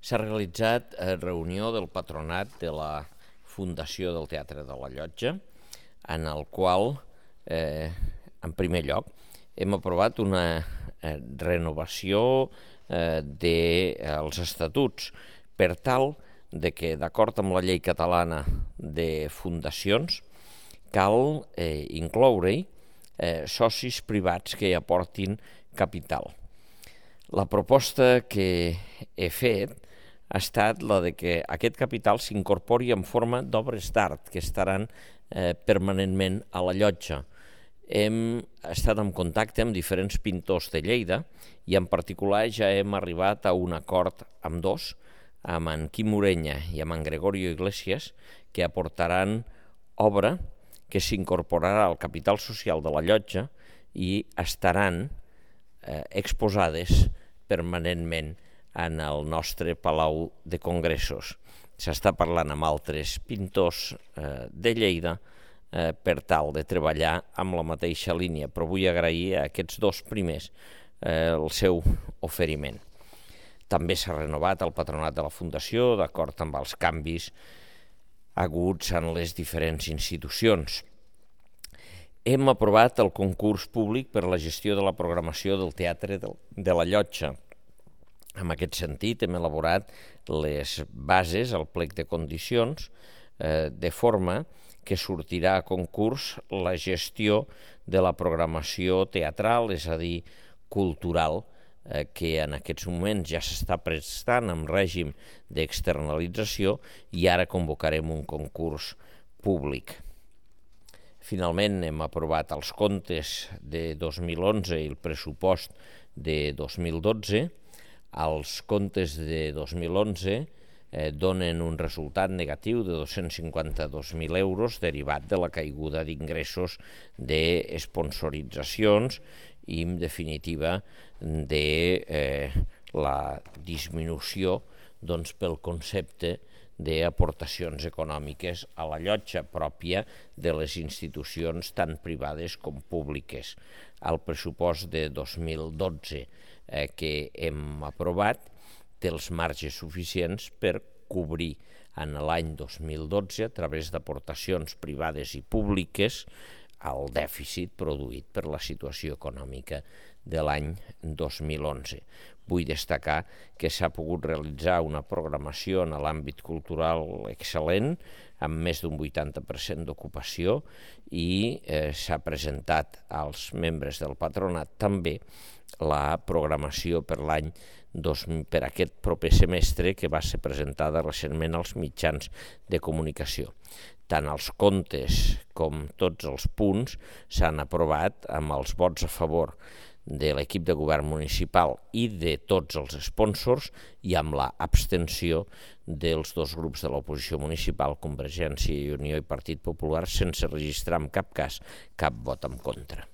S'ha realitzat reunió del patronat de la Fundació del Teatre de la Llotja, en el qual, en primer lloc, hem aprovat una renovació dels estatuts per tal de que, d'acord amb la llei catalana de fundacions, cal incloure-hi socis privats que hi aportin capital. La proposta que he fet ha estat la de que aquest capital s'incorpori en forma d'obres d'art que estaran permanentment a la llotja. Hem estat en contacte amb diferents pintors de Lleida i en particular ja hem arribat a un acord amb dos, amb en Quim Urenya i amb en Gregorio Iglesias, que aportaran obra que s'incorporarà al capital social de la llotja i estaran exposades permanentment en el nostre Palau de Congressos. S'està parlant amb altres pintors de Lleida per tal de treballar amb la mateixa línia, però vull agrair a aquests dos primers el seu oferiment. També s'ha renovat el patronat de la Fundació, d'acord amb els canvis haguts en les diferents institucions. Hem aprovat el concurs públic per a la gestió de la programació del Teatre de la Llotja. En aquest sentit, hem elaborat les bases, el plec de condicions, de forma que sortirà a concurs la gestió de la programació teatral, és a dir, cultural, que en aquests moments ja s'està prestant en règim d'externalització i ara convocarem un concurs públic. Finalment, hem aprovat els comptes de 2011 i el pressupost de 2012. Els comptes de 2011 donen un resultat negatiu de 252.000 euros derivat de la caiguda d'ingressos d'esponsoritzacions i, en definitiva, de la disminució pel concepte d'aportacions econòmiques a la llotja pròpia de les institucions tant privades com públiques. El pressupost de 2012 que hem aprovat té els marges suficients per cobrir en l'any 2012, a través d'aportacions privades i públiques, el dèficit produït per la situació econòmica de l'any 2011. Vull destacar que s'ha pogut realitzar una programació en l'àmbit cultural excel·lent, amb més d'un 80% d'ocupació, i s'ha presentat als membres del patronat també la programació per aquest proper semestre, que va ser presentada recentment als mitjans de comunicació. Tant els comptes com tots els punts s'han aprovat amb els vots a favor de l'equip de govern municipal i de tots els sponsors i amb l'abstenció dels dos grups de l'oposició municipal, Convergència i Unió i Partit Popular, sense registrar en cap cas cap vot en contra.